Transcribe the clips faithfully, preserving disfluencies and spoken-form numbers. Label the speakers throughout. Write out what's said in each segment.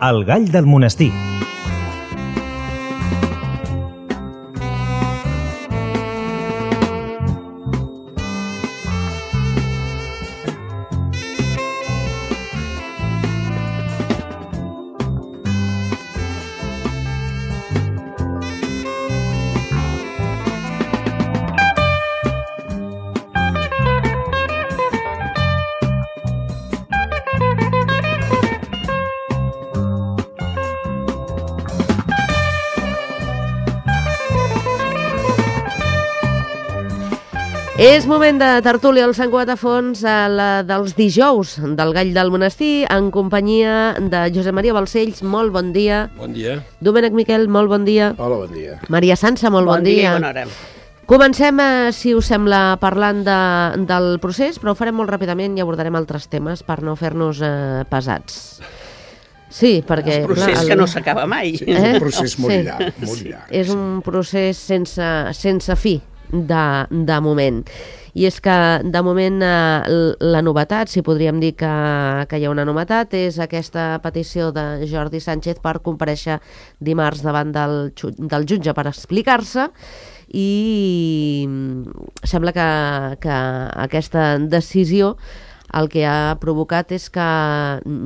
Speaker 1: El gall del monestir.
Speaker 2: És moment de tertúlia al Sant Cugat a Fons, a la dels dijous del Gall del Monestir, en companyia de Josep Maria Balcells, molt bon dia.
Speaker 3: Bon dia.
Speaker 2: Domènec Miquel, molt bon dia.
Speaker 3: Hola, bon dia.
Speaker 2: Maria Sança, molt bon,
Speaker 4: bon
Speaker 2: dia.
Speaker 4: dia. Bona hora.
Speaker 2: Comencem, eh, si us sembla, parlant de, del procés, però ho farem molt ràpidament i abordarem altres temes per no fer-nos eh, pesats. Sí, perquè...
Speaker 4: Un procés
Speaker 2: clar, el...
Speaker 4: que no s'acaba mai.
Speaker 3: Sí, és
Speaker 2: Eh?
Speaker 3: un procés molt
Speaker 2: Sí.
Speaker 3: llarg, molt llarg.
Speaker 2: És un procés sense, sense fi, de, de moment. I és que, de moment, eh, la novetat, si podríem dir que, que hi ha una novetat, és aquesta petició de Jordi Sánchez per comparèixer dimarts davant del, del jutge per explicar-se, i sembla que, que aquesta decisió el que ha provocat és que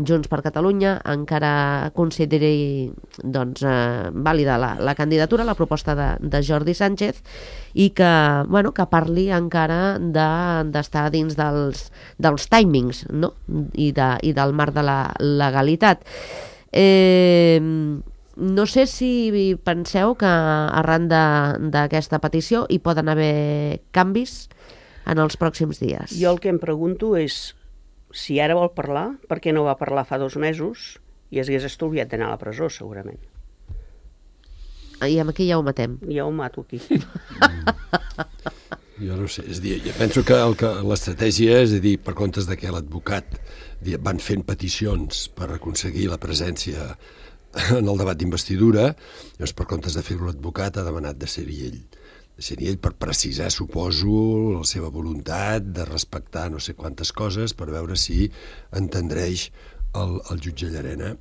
Speaker 2: Junts per Catalunya encara consideri doncs, eh, vàlida la, la candidatura, la proposta de, de Jordi Sánchez, i que, bueno, que parli encara d'estar de, dins dels, dels timings, no? I, de, i del marc de la legalitat. Eh, no sé si penseu que arran d'aquesta petició hi poden haver canvis en els pròxims dies.
Speaker 4: Jo el que em pregunto és si ara vol parlar, per què no va parlar fa dos mesos i es hagués estalviat d'anar a la presó, segurament.
Speaker 2: I aquí ja ho matem.
Speaker 4: Ja ho mato aquí.
Speaker 3: Jo no sé, és dir, jo penso que l'estratègia és a dir, per comptes de que l'advocat van fent peticions per aconseguir la presència en el debat d'investidura, doncs per comptes de fer-lo l'advocat ha demanat de ser-hi ell. de ser ell per precisar, suposo, la seva voluntat de respectar no sé quantes coses per veure si entendreix el, el jutge Llarena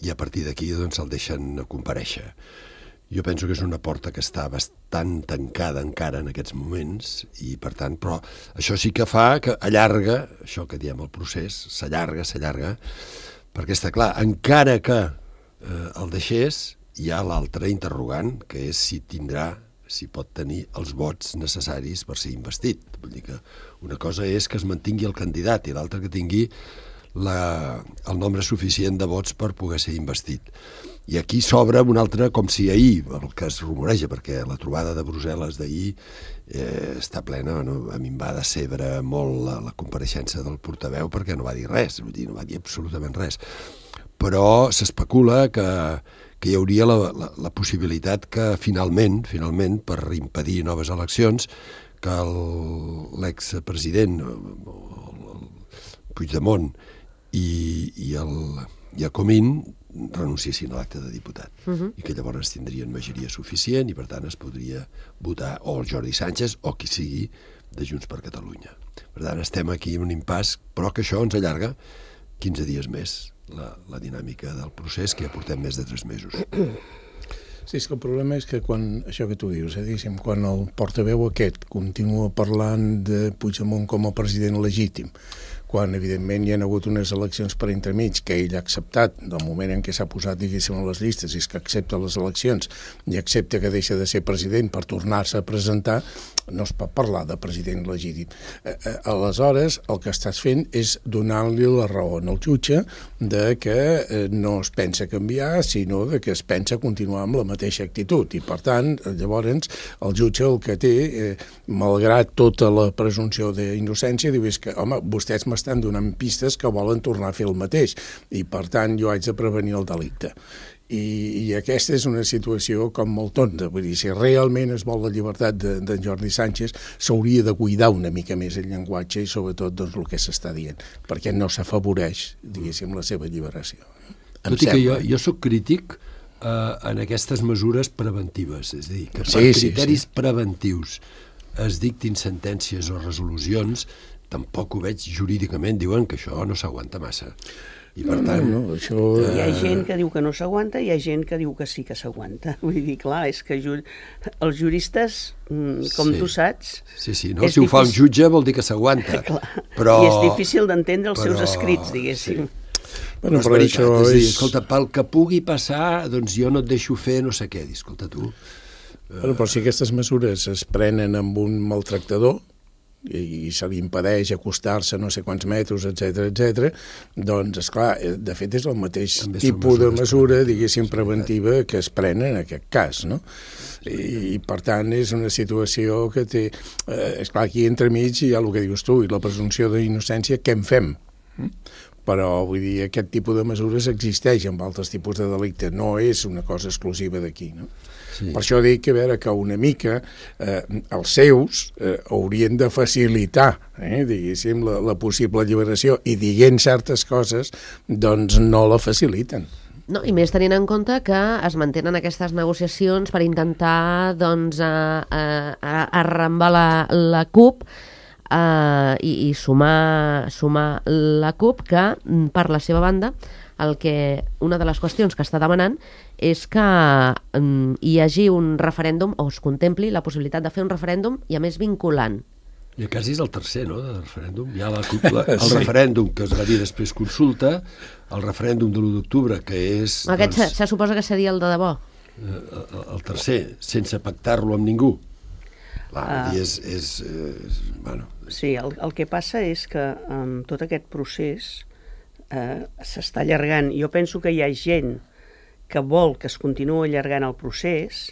Speaker 3: i a partir d'aquí doncs, el deixen comparèixer. Jo penso que és una porta que està bastant tancada encara en aquests moments i per tant, però això sí que fa que allarga, això que diem el procés, s'allarga, s'allarga, perquè està clar, encara que eh, el deixés, hi ha l'altre interrogant, que és si tindrà si pot tenir els vots necessaris per ser investit. Vull dir que una cosa és que es mantingui el candidat i l'altra que tingui la, el nombre suficient de vots per poder ser investit. I aquí s'obre un altre, com si ahir, el que es rumoreja, perquè la trobada de Brussel·les d'ahir eh, està plena, no? A mi em va decebre molt la, la compareixença del portaveu perquè no va dir res, vull dir, no va dir absolutament res. Però s'especula que que hi hauria la, la, la possibilitat que finalment, finalment, per impedir noves eleccions, que l'expresident Puigdemont i, i, el, i el Comín renunciessin a l'acte de diputat. Uh-huh. I que llavors tindrien majoria suficient i per tant es podria votar o el Jordi Sánchez o qui sigui de Junts per Catalunya. Per tant, estem aquí en un impàs, però que això ens allarga quinze dies més. La, la dinàmica del procés, que ja portem més de tres mesos.
Speaker 5: Sí, és que el problema és que quan, això que tu dius, eh, quan el portaveu aquest continua parlant de Puigdemont com a president legítim, quan evidentment hi ha hagut unes eleccions per entremig que ell ha acceptat, del moment en què s'ha posat, diguéssim, a les llistes, és que accepta les eleccions i accepta que deixa de ser president per tornar-se a presentar, no es pot parlar de president legítim. Eh, eh, aleshores, el que estàs fent és donar-li la raó al jutge de que eh, no es pensa canviar, sinó de que es pensa continuar amb la mateixa actitud. I, per tant, llavors, el jutge el que té, eh, malgrat tota la presumpció d'innocència, diu és que, home, vostès m'estan donant pistes que volen tornar a fer el mateix i, per tant, jo haig de prevenir el delicte. I, i aquesta és una situació com molt tonta. Vull dir, si realment es vol la llibertat de, de Jordi Sánchez, s'hauria de cuidar una mica més el llenguatge i sobretot doncs, el que s'està dient, perquè no s'afavoreix, diguéssim, la seva alliberació.
Speaker 3: Em Tot i que jo, jo soc crític eh, en aquestes mesures preventives, és a dir, que per
Speaker 5: sí,
Speaker 3: criteris
Speaker 5: sí, sí.
Speaker 3: preventius es dictin sentències o resolucions, tampoc ho veig jurídicament, diuen que això no s'aguanta massa. I per tant...
Speaker 5: No, no, això...
Speaker 4: Eh... Hi ha gent que diu que no s'aguanta i hi ha gent que diu que sí que s'aguanta. Vull dir, clar, és que ju... els juristes, com
Speaker 3: sí.
Speaker 4: tu saps...
Speaker 3: Sí, sí, no? Si ho fa un jutge vol dir que s'aguanta. Però...
Speaker 4: I és difícil d'entendre els
Speaker 3: però...
Speaker 4: seus escrits, diguéssim.
Speaker 3: Sí.
Speaker 5: Bueno,
Speaker 3: però,
Speaker 5: però
Speaker 3: és veritat,
Speaker 5: això
Speaker 3: és dir,
Speaker 5: és...
Speaker 3: escolta, pel que pugui passar, doncs jo no et deixo fer no sé què. Escolta, tu...
Speaker 5: Bueno, però si aquestes mesures es prenen amb un maltractador i, i se li impedeix acostar-se no sé quants metres, etcètera, etcètera, doncs, esclar, de fet és el mateix També tipus de mesura, diguéssim, preventiva que es pren en aquest cas, no? I, i per tant és una situació que té... Eh, esclar, aquí entremig hi ha el que dius tu, i la presumpció d'innocència, què en fem? Mm? Però, vull dir, aquest tipus de mesures existeix amb altres tipus de delicte, no és una cosa exclusiva d'aquí, no? Sí. Per això dic que, a veure, que una mica eh, els seus eh, haurien de facilitar, eh, diguéssim, la, la possible alliberació, i dient certes coses, doncs no la faciliten.
Speaker 2: No, i més tenint en compte que es mantenen aquestes negociacions per intentar, doncs, a, a, a arrambar la, la CUP, Uh, i, i sumar, sumar la CUP, que per la seva banda el que, una de les qüestions que està demanant és que um, hi hagi un referèndum, o es contempli la possibilitat de fer un referèndum, i a més vinculant.
Speaker 3: I quasi és el tercer, no?, de referèndum. Hi ha la CUP, la, el sí. referèndum que es va dir després consulta, el referèndum de l'u d'octubre, que és...
Speaker 2: Aquest
Speaker 3: doncs,
Speaker 2: se, se suposa que seria el de debò.
Speaker 3: El, el tercer, sense pactar-lo amb ningú. Va, uh, és, és, és, bueno.
Speaker 4: Sí, el, el que passa és que amb tot aquest procés eh, s'està allargant. Jo penso que hi ha gent que vol que es continuï allargant el procés,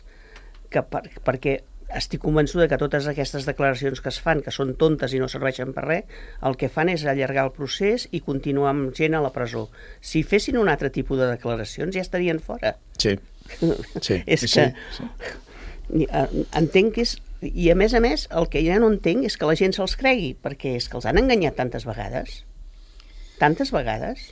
Speaker 4: que per, perquè estic convençuda que totes aquestes declaracions que es fan, que són tontes i no serveixen per res, el que fan és allargar el procés i continuar amb gent a la presó. Si fessin un altre tipus de declaracions ja estarien fora.
Speaker 5: Sí, sí.
Speaker 4: És
Speaker 5: sí,
Speaker 4: que
Speaker 5: sí.
Speaker 4: entenc que és... I a més a més, el que ja no entenc és que la gent se'ls cregui, perquè és que els han enganyat tantes vegades. Tantes vegades.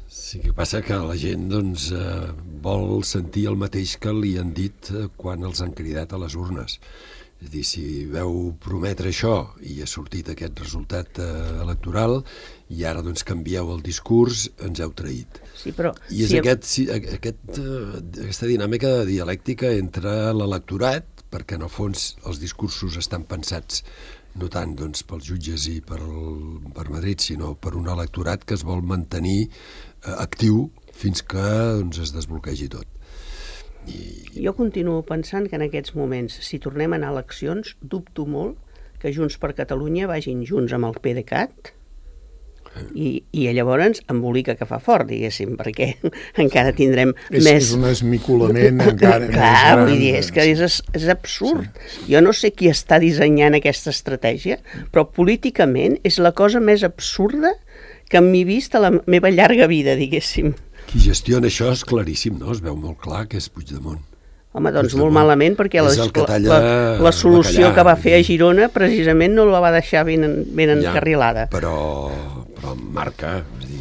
Speaker 3: Sí, que passa que la gent doncs, eh, vol sentir el mateix que li han dit eh, quan els han cridat a les urnes. És a dir, si veu prometre això i ha sortit aquest resultat eh, electoral i ara doncs canvieu el discurs, ens heu traït.
Speaker 4: Sí, però...
Speaker 3: I és
Speaker 4: si...
Speaker 3: aquest, aquest, eh, aquesta dinàmica dialèctica entre l'electorat, perquè en el fons els discursos estan pensats no tant doncs, pels jutges i per, el, per Madrid, sinó per un electorat que es vol mantenir eh, actiu fins que doncs, es desbloquegi tot. I...
Speaker 4: Jo continuo pensant que en aquests moments, si tornem a anar a eleccions, dubto molt que Junts per Catalunya vagin junts amb el PDeCAT i, i llavors embolica que fa fort, diguéssim, perquè encara tindrem
Speaker 5: és,
Speaker 4: més...
Speaker 5: És un esmicolament encara
Speaker 4: Clar,
Speaker 5: més gran.
Speaker 4: Vull dir, és que és, és absurd. Sí, sí. Jo no sé qui està dissenyant aquesta estratègia, però políticament és la cosa més absurda que m'he vist a la meva llarga vida, diguéssim.
Speaker 3: Qui gestiona això és claríssim, no? Es veu molt clar que és Puigdemont.
Speaker 4: Home, doncs
Speaker 3: Puigdemont
Speaker 4: molt malament, perquè la,
Speaker 3: talla,
Speaker 4: la, la solució que va fer a Girona precisament no la va deixar ben, ben ja, encarrilada.
Speaker 3: Però, però marca. És dir...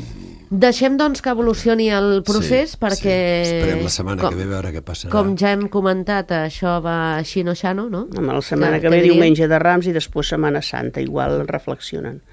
Speaker 2: Deixem, doncs, que evolucioni el procés,
Speaker 3: sí,
Speaker 2: perquè...
Speaker 3: Sí. Esperem la setmana com, que ve a veure què passarà.
Speaker 2: Com ja hem comentat, això va xino-xano, no?
Speaker 4: Home, la setmana que, que ve, diumenge de Rams i després Setmana Santa, igual reflexionen.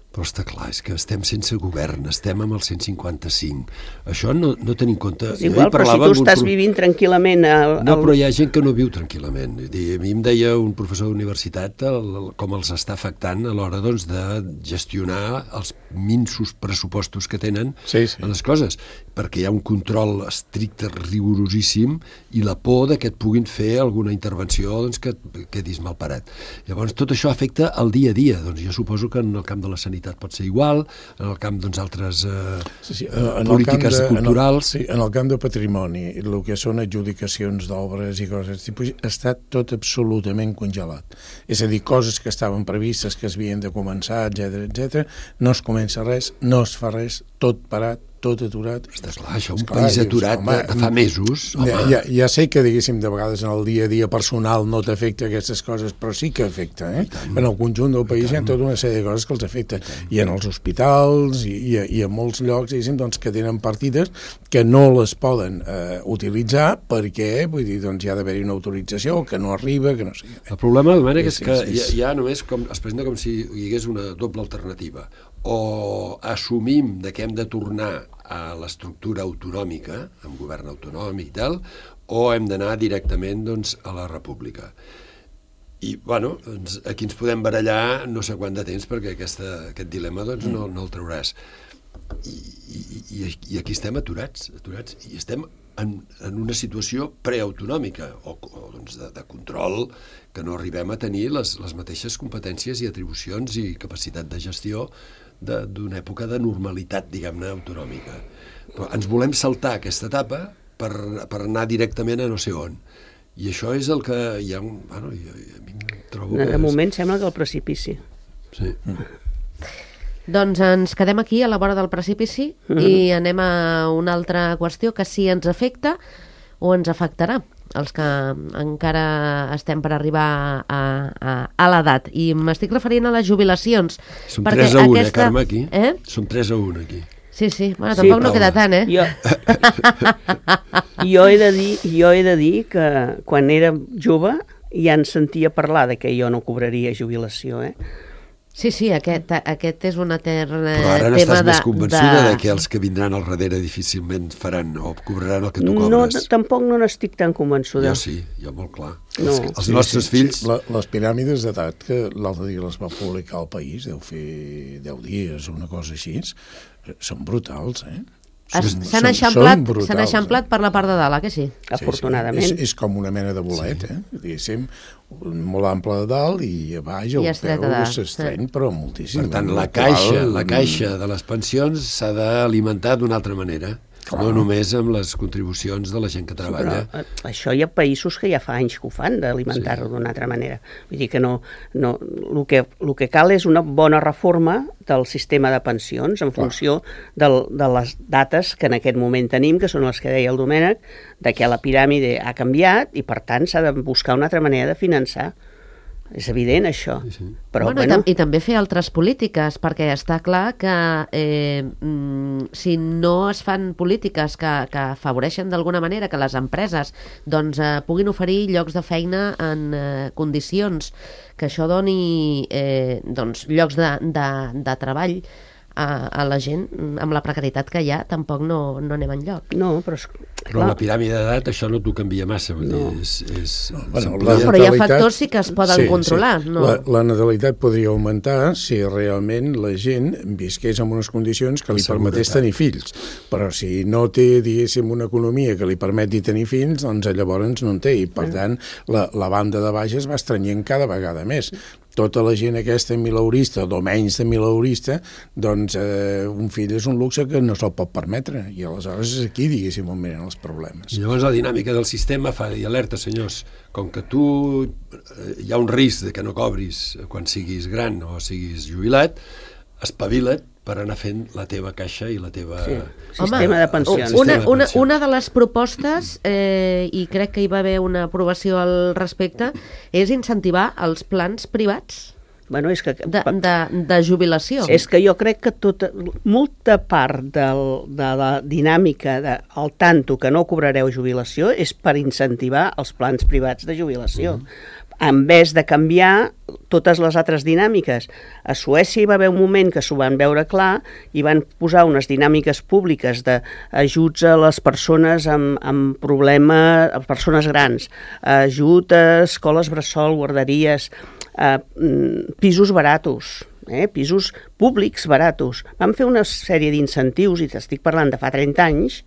Speaker 3: Però està clar, és que estem sense govern, estem amb el cent cinquanta-cinc. Això no, no tenim en compte...
Speaker 4: És igual, però si tu estàs un... vivint tranquil·lament... El, el...
Speaker 3: No, però hi ha gent que no viu tranquil·lament. A mi em deia un professor d'universitat el, el, com els està afectant a l'hora doncs, de gestionar els minsos pressupostos que tenen
Speaker 5: sí, sí.
Speaker 3: a les coses, perquè hi ha un control estricte, rigorosíssim, i la por de que et puguin fer alguna intervenció doncs, que et quedis mal parat. Llavors, tot això afecta el dia a dia. Doncs jo suposo que en el camp de la sanitat pot ser igual, en el camp doncs, altres eh,
Speaker 5: sí, sí. En
Speaker 3: polítiques
Speaker 5: de,
Speaker 3: culturals.
Speaker 5: En el, sí, en el camp de patrimoni, el que són adjudicacions d'obres i coses tipus, està tot absolutament congelat. És a dir, coses que estaven previstes, que es havien de començar, etcètera, etcètera, no es comença res, no es fa res, tot parat, tot aturat.
Speaker 3: Està clar, això, un clar, país aturat dius, home, fa mesos. Home.
Speaker 5: Ja, ja, ja sé que, diguéssim, de vegades en el dia a dia personal no t'afecta aquestes coses, però sí que afecta, eh? En el conjunt del país hi ha tota una sèrie de coses que els afecta. I en els hospitals i, i, i en molts llocs, diguéssim, doncs, que tenen partides que no les poden eh, utilitzar perquè, vull dir, doncs hi ha d'haver-hi una autorització que no arriba, que no sé.
Speaker 3: El problema, Domènec, és que hi ha, hi ha només com, es presenta com si hi hagués una doble alternativa. o assumim de que hem de tornar a l'estructura autonòmica, amb govern autonòmic i tal, o hem d'anar directament doncs, a la república. I, bueno, doncs, aquí ens podem barallar no sé quant de temps, perquè aquesta, aquest dilema doncs, no, no el trauràs. I, i, i aquí estem aturats, aturats, i estem en, en una situació preautonòmica o, o doncs de, de control, que no arribem a tenir les, les mateixes competències i atribucions i capacitat de gestió d'una època de normalitat, diguem-ne, autonòmica. Però ens volem saltar aquesta etapa per, per anar directament a no sé on. I això és el que hi ha... Un, bueno, jo, jo, a mi em trobo que...
Speaker 4: De moment sembla que el precipici.
Speaker 3: Sí.
Speaker 2: Mm. Doncs ens quedem aquí a la vora del precipici mm-hmm. i anem a una altra qüestió que si ens afecta o ens afectarà els que encara estem per arribar a, a, a l'edat. I m'estic referint a les jubilacions.
Speaker 3: Som tres a un,
Speaker 2: aquesta...
Speaker 3: eh, Carme, aquí?
Speaker 2: Eh?
Speaker 3: Som tres a un, aquí.
Speaker 2: Sí, sí. Bueno, tampoc sí, no queda tant, eh?
Speaker 4: Jo... jo, he de dir, jo he de dir que quan era jove ja en sentia parlar de que jo no cobraria jubilació, eh?
Speaker 2: Sí, sí, aquest, aquest és un etern tema de...
Speaker 3: Però ara n'estàs més convençuda de... de que els que vindran al darrere difícilment faran o cobraran el que tu cobres?
Speaker 4: No, tampoc no n'estic tan convençuda.
Speaker 3: Jo sí, jo molt clar.
Speaker 4: No.
Speaker 3: Els, els nostres sí, fills...
Speaker 5: Sí, les piràmides d'edat que l'altre dia les va publicar al País, deu fer deu dies o una cosa així, són brutals, eh?
Speaker 2: S'han eixamplat, s'han eixamplat eh? per la part de dalt, que sí?
Speaker 4: Afortunadament.
Speaker 5: Sí, sí. És, és com una mena de bolet, sí. eh? Diguéssim, molt ample de dalt i a baix el peu s'estreny, sí. però moltíssim.
Speaker 3: Per tant, la caixa, la caixa de les pensions s'ha d'alimentar d'una altra manera. Clar. No només amb les contribucions de la gent que treballa.
Speaker 4: Sí, però això hi ha països que ja fa anys que ho fan, d'alimentar-ho sí. d'una altra manera. Vull dir que no... no el, que, el que cal és una bona reforma del sistema de pensions en funció del, de les dates que en aquest moment tenim, que són les que deia el Domènec, de que la piràmide ha canviat i, per tant, s'ha de buscar una altra manera de finançar. És evident, això. Sí, sí. Però,
Speaker 2: bueno,
Speaker 4: bueno...
Speaker 2: I, tam I també fer altres polítiques, perquè està clar que eh, mm, si no es fan polítiques que, que afavoreixen d'alguna manera que les empreses doncs, eh, puguin oferir llocs de feina en eh, condicions que això doni eh, doncs, llocs de, de, de treball a, a la gent, amb la precarietat que hi ha, tampoc no, no anem enlloc.
Speaker 4: No, però... És,
Speaker 3: però la piràmide d'edat això no t'ho canvia massa. Vull no. dir, és, és,
Speaker 5: no, bueno,
Speaker 2: no, però hi ha factors sí que es poden sí, controlar.
Speaker 5: Sí.
Speaker 2: No?
Speaker 5: La, la natalitat podria augmentar si realment la gent visqués en unes condicions que li permetés tenir fills. Però si no té, diguéssim, una economia que li permeti tenir fills, doncs llavors no en té. I, per tant, la, la banda de baix es va estrenyent cada vegada més. Tota la gent aquesta mileurista, o menys de mileurista, doncs eh, un fill és un luxe que no se'l pot permetre. I aleshores és aquí, diguéssim, on venen els problemes.
Speaker 3: I llavors la dinàmica del sistema fa dir, alerta, senyors, com que tu eh, hi ha un risc de que no cobris quan siguis gran o siguis jubilat, espavila't per anar fent la teva caixa i la teva... Sí.
Speaker 4: Sistema Home, de pensions.
Speaker 2: Una, una, una de les propostes, eh, i crec que hi va haver una aprovació al respecte, és incentivar els plans privats
Speaker 4: bueno, és que,
Speaker 2: de, de, de jubilació.
Speaker 4: És que jo crec que tota, molta part del, de la dinàmica de, al tanto que no cobrareu jubilació és per incentivar els plans privats de jubilació. Mm. En vez de canviar totes les altres dinàmiques. A Suècia hi va haver un moment que s'ho van veure clar i van posar unes dinàmiques públiques d'ajuts a les persones amb, amb problemes, a persones grans, ajut a escoles bressol, guarderies, eh, pisos baratos, eh, pisos públics baratos. Van fer una sèrie d'incentius, i t'estic parlant de fa trenta anys,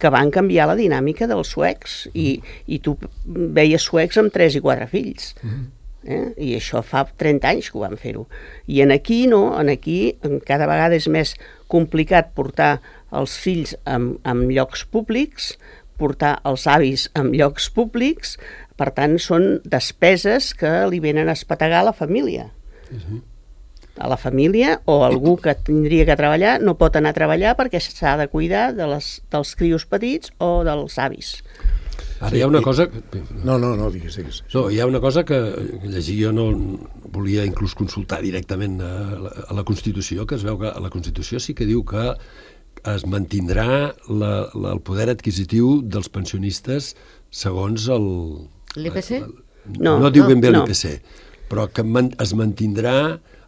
Speaker 4: que van canviar la dinàmica dels suecs i, i tu veies suecs amb tres i quatre fills. Eh? I això fa trenta anys que ho van fer-ho. I en aquí no, en aquí cada vegada és més complicat portar els fills en, en llocs públics, portar els avis en llocs públics, per tant són despeses que li venen a espetegar a la família. Sí, sí. A la família, o algú que tindria que treballar no pot anar a treballar perquè s'ha de cuidar de les, dels crios petits o dels avis.
Speaker 3: Ara hi ha una cosa...
Speaker 5: No, no, no, digues, digues.
Speaker 3: No, hi ha una cosa que llegir jo no volia inclús consultar directament a la, a la Constitució, que es veu que a la Constitució sí que diu que es mantindrà la, la, el poder adquisitiu dels pensionistes segons el...
Speaker 2: L'I P C?
Speaker 3: No, no diu ben bé
Speaker 4: no.
Speaker 3: l'I P C. però que man, es mantindrà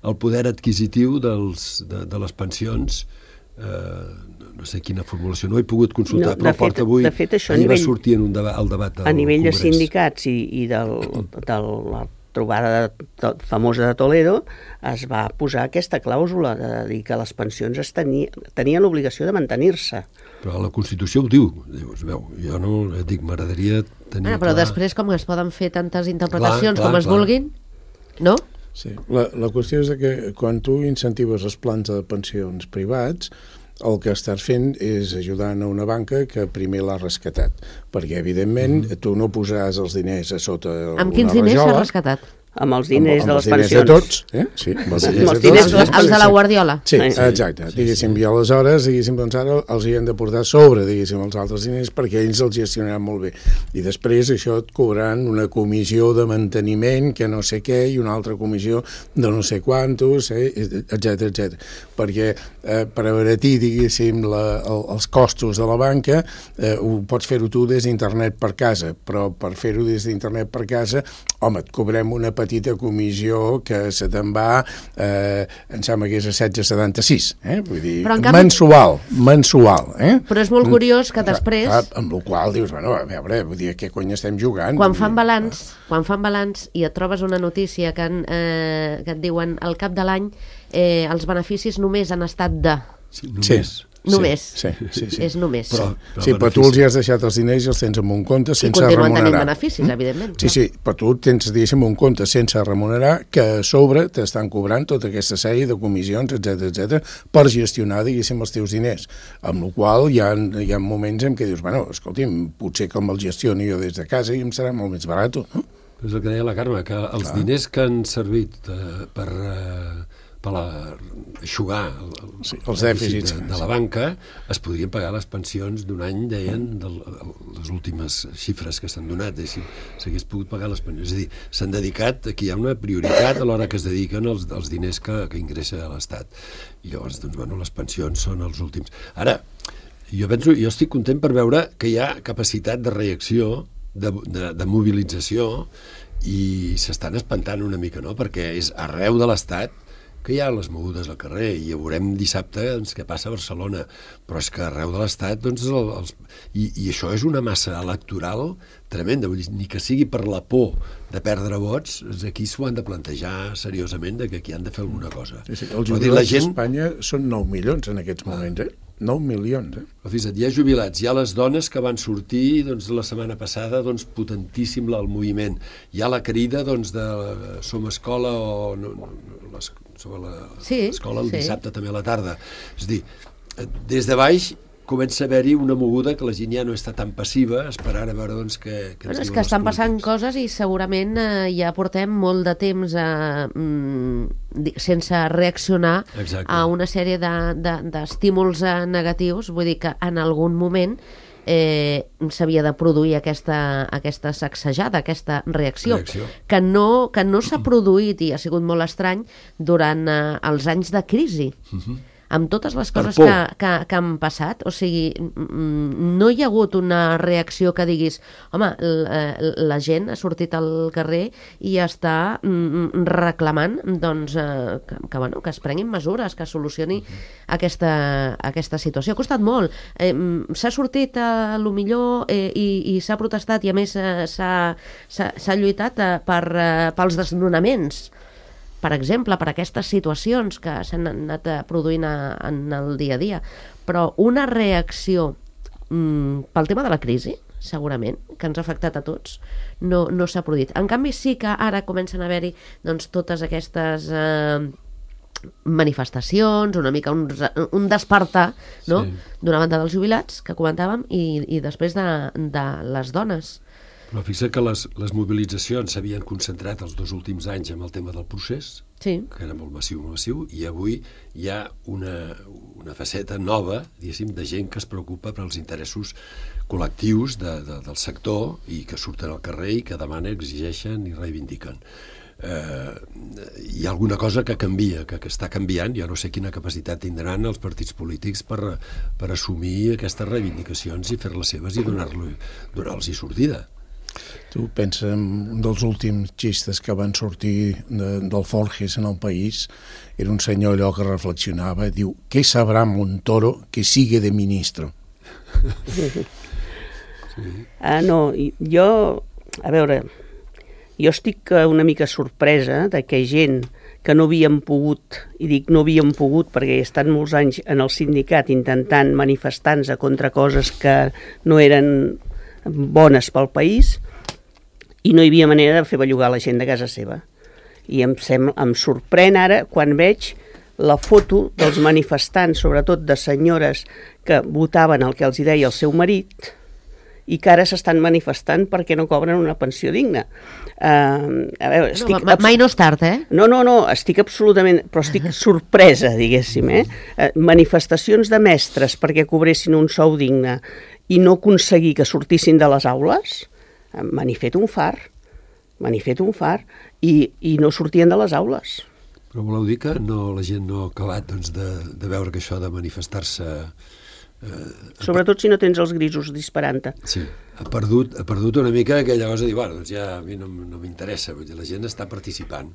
Speaker 3: el poder adquisitiu dels, de, de les pensions, eh, no sé quina formulació, no he pogut consultar, no, però
Speaker 4: fet,
Speaker 3: porta avui,
Speaker 4: de fet, això
Speaker 3: ahir
Speaker 4: nivell,
Speaker 3: va sortir en un debat, el debat del
Speaker 4: a nivell
Speaker 3: Congrés.
Speaker 4: De sindicats i, i del, del, la trobada de, de, famosa de Toledo es va posar aquesta clàusula de dir que les pensions es tenia, tenien l'obligació de mantenir-se.
Speaker 3: Però la Constitució ho diu, dius, veu, jo no et dic, m'agradaria tenir
Speaker 2: ah, però
Speaker 3: clar...
Speaker 2: després com es poden fer tantes interpretacions
Speaker 3: clar, clar,
Speaker 2: com es
Speaker 3: clar.
Speaker 2: vulguin, no?
Speaker 5: Sí, la, la qüestió és que quan tu incentives els plans de pensions privats, el que estàs fent és ajudant a una banca que primer l'ha rescatat, perquè evidentment mm. tu no posaràs els diners a sota una
Speaker 2: amb quins diners s'ha rescatat?
Speaker 4: Amb els diners
Speaker 5: amb, amb
Speaker 4: de les
Speaker 5: diners
Speaker 4: pensions.
Speaker 5: de tots, eh? Sí, amb els diners,
Speaker 4: els
Speaker 5: de,
Speaker 4: diners
Speaker 5: tots,
Speaker 4: de les
Speaker 2: els de la Guardiola.
Speaker 5: Sí,
Speaker 4: sí,
Speaker 5: exacte.
Speaker 3: Sí,
Speaker 5: diguéssim,
Speaker 3: sí.
Speaker 5: i aleshores, diguéssim, doncs ara els hi hem de portar sobre, diguéssim, els altres diners perquè ells els gestionaran molt bé. I després això et cobraran una comissió de manteniment que no sé què i una altra comissió de no sé quantos, eh? etcètera, etcètera. Perquè eh, per abaratir, diguéssim, la, el, els costos de la banca, eh, ho pots fer-ho tu des d'internet per casa, però per fer-ho des d'internet per casa, home, et cobrem una petita comissió que se te'n va, eh, em sembla que és a setze coma setanta-sis, eh? Vull dir, canvi... mensual, mensual, eh?
Speaker 2: Però és molt curiós que després...
Speaker 5: Ah, amb la qual dius, bueno, a veure, vull dir, què cony estem jugant?
Speaker 2: Quan fan balanç, quan fan balanç i et trobes una notícia que, en, eh, que et diuen al cap de l'any eh, els beneficis només han estat de...
Speaker 3: Sí, només.
Speaker 5: Sí.
Speaker 2: Només.
Speaker 5: Sí, sí, sí.
Speaker 2: És només.
Speaker 3: Però, però,
Speaker 5: sí, però tu els hi has deixat els diners i els tens en un compte sense remunerar.
Speaker 2: I continuen tenint beneficis, mm? evidentment.
Speaker 5: Sí, sí, però tu tens, diguéssim, un compte sense remunerar que a sobre t'estan cobrant tota aquesta sèrie de comissions, etcètera, etcètera, per gestionar, diguéssim, els teus diners. Amb la qual hi ha, hi ha moments en què dius, bueno, escolti'm, potser que me'l gestiono jo des de casa i em serà molt més barat, no?
Speaker 3: És el que deia la Carme, que els Clar. diners que han servit eh, per... Eh, per aixugar el, el,
Speaker 5: sí, els dèficits
Speaker 3: de, de la banca, es podrien pagar les pensions d'un any, deien, de les últimes xifres que s'han donat, si s'hagués pogut pagar les pensions. És a dir, s'han dedicat, aquí hi ha una prioritat a l'hora que es dediquen els, els diners que, que ingressa a l'Estat. I llavors, doncs, bueno, les pensions són els últims. Ara, jo penso, jo estic content per veure que hi ha capacitat de reacció, de, de, de mobilització, i s'estan espantant una mica, no?, perquè és arreu de l'Estat que hi ha les mogudes al carrer, i ja veurem dissabte doncs, què passa a Barcelona, però és que arreu de l'Estat, doncs, el, els, i, i això és una massa electoral tremenda, vull dir, ni que sigui per la por de perdre vots, aquí s'ho han de plantejar seriosament de que aquí han de fer alguna cosa.
Speaker 5: Sí, sí, els jubilats la gent... d'Espanya són nou milions en aquests moments, eh? nou milions, eh?
Speaker 3: Però fixa't, hi ha jubilats, hi ha les dones que van sortir doncs, la setmana passada, doncs, potentíssim el moviment. Hi ha la crida doncs, de Som Escola o no, no, les, sobre l'escola sí, el dissabte sí. també a la tarda. És a dir, des de baix comença a haver-hi una moguda que la gent ja no està tan passiva, esperant a veure doncs, què, què ens
Speaker 2: bueno, és
Speaker 3: diuen
Speaker 2: que estan
Speaker 3: polítics.
Speaker 2: passant coses i segurament eh, ja portem molt de temps a, mm, sense reaccionar Exacte. a una sèrie d'estímuls de, de, negatius, vull dir que en algun moment eh, s'havia de produir aquesta, aquesta sacsejada, aquesta reacció, reacció. que no, que no s'ha produït i ha sigut molt estrany durant eh, els anys de crisi. Uh-huh. Amb totes les coses que, que, que han passat, o sigui, no hi ha hagut una reacció que diguis, home, la, la gent ha sortit al carrer i està reclamant doncs, que, que, bueno, que es prenguin mesures, que solucioni aquesta, aquesta situació. Ha costat molt. Eh, s'ha sortit a lo millor eh, i, i s'ha protestat i a més eh, s'ha lluitat eh, per, eh, pels desnonaments, per exemple, per aquestes situacions que s'han anat produint a, en el dia a dia. Però una reacció mmm, pel tema de la crisi, segurament, que ens ha afectat a tots, no, no s'ha produït. En canvi, sí que ara comencen a haver-hi doncs, totes aquestes eh, manifestacions, una mica un, un despertar, no? Sí. D'una banda dels jubilats, que comentàvem, i, i després de, de les dones.
Speaker 3: Però fixa que les, les mobilitzacions s'havien concentrat els dos últims anys amb el tema del procés,
Speaker 2: sí.
Speaker 3: que era molt massiu, molt massiu, i avui hi ha una, una faceta nova, diguéssim, de gent que es preocupa pels interessos col·lectius de, de, del sector i que surten al carrer i que demanen, exigeixen i reivindiquen. Eh, hi ha alguna cosa que canvia, que, que està canviant. Jo no sé quina capacitat tindran els partits polítics per, per assumir aquestes reivindicacions i fer-les seves i donar-los donar-los sortida.
Speaker 5: Tu pensa en un dels últims xistes que van sortir de, del Forges en el País, era un senyor allò que reflexionava, diu, què sabrà Montoro que sigue de ministro?
Speaker 4: Sí. Ah, no, jo, a veure, jo estic una mica sorpresa de que gent que no havíem pogut, i dic no havíem pogut perquè he estat molts anys en el sindicat intentant manifestar-nos contra coses que no eren bones pel país i no hi havia manera de fer bellugar la gent de casa seva. I em, sembla, em sorprèn ara quan veig la foto dels manifestants, sobretot de senyores que votaven el que els deia el seu marit, i que ara s'estan manifestant perquè no cobren una pensió digna. Uh, a veure, estic
Speaker 2: no, mai no és tard, eh?
Speaker 4: No, no, no, estic absolutament... Però estic sorpresa, diguéssim, eh? Uh, manifestacions de mestres perquè cobressin un sou digne i no aconseguir que sortissin de les aules, uh, me n'he fet un far, me n'he fet un far, i, i no sortien de les aules.
Speaker 3: Però voleu dir que no, la gent no ha acabat doncs, de, de veure que això de manifestar-se...
Speaker 4: Eh, Sobretot si no tens els grisos disparant-te.
Speaker 3: Sí, ha perdut, ha perdut una mica aquella cosa de dir, bueno, doncs ja a mi no, no m'interessa, la gent està participant.